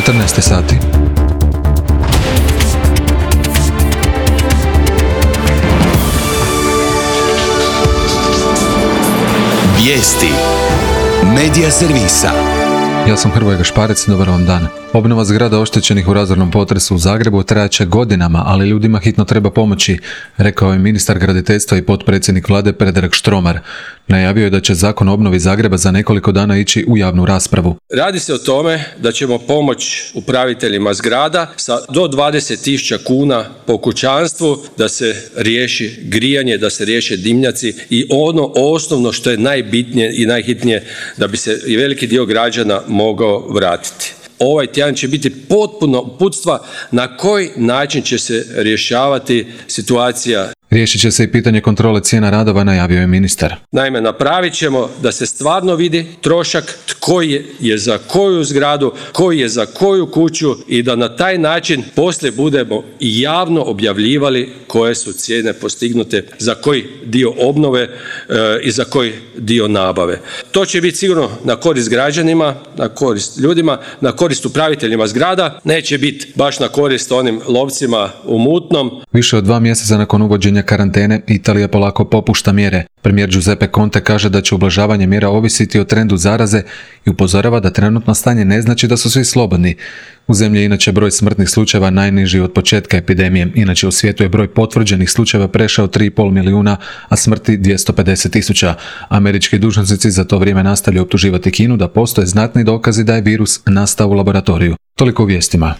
14 sati. Vijesti Medija servisa. Ja sam Hrvoje Gašparec, dobar vam dan. Obnova zgrada oštećenih u razornom potresu u Zagrebu trajaće godinama, ali ljudima hitno treba pomoći, rekao je ministar graditeljstva i potpredsjednik vlade Predrag Štromar. Najavio je da će zakon o obnovi Zagreba za nekoliko dana ići u javnu raspravu. Radi se o tome da ćemo pomoći upraviteljima zgrada sa do 20.000 kuna po kućanstvu da se riješi grijanje, da se riješe dimnjaci i ono osnovno što je najbitnije i najhitnije da bi se i veliki dio građana mogao vratiti. Ovaj tjedan će biti potpuno uputstva na koji način će se rješavati situacija. Riješit će se i pitanje kontrole cijena radova, najavio je ministar. Naime, napravit ćemo da se stvarno vidi trošak, tko je za koju zgradu, koji je za koju kuću i da na taj način poslije budemo javno objavljivali koje su cijene postignute za koji dio obnove i za koji dio nabave. To će biti sigurno na korist građanima, na korist ljudima, na korist upraviteljima zgrada, neće biti baš na korist onim lovcima u mutnom. Više od 2 mjeseca nakon uvođenja karantene, Italija polako popušta mjere. Premijer Giuseppe Conte kaže da će ublažavanje mjera ovisiti o trendu zaraze i upozorava da trenutno stanje ne znači da su svi slobodni. U zemlji je inače broj smrtnih slučajeva najniži od početka epidemije. Inače u svijetu je broj potvrđenih slučajeva prešao 3,5 milijuna, a smrti 250.000. Američki dužnosnici za to vrijeme nastavljaju optuživati Kinu da postoje znatni dokazi da je virus nastao u laboratoriju. Toliko u vijestima.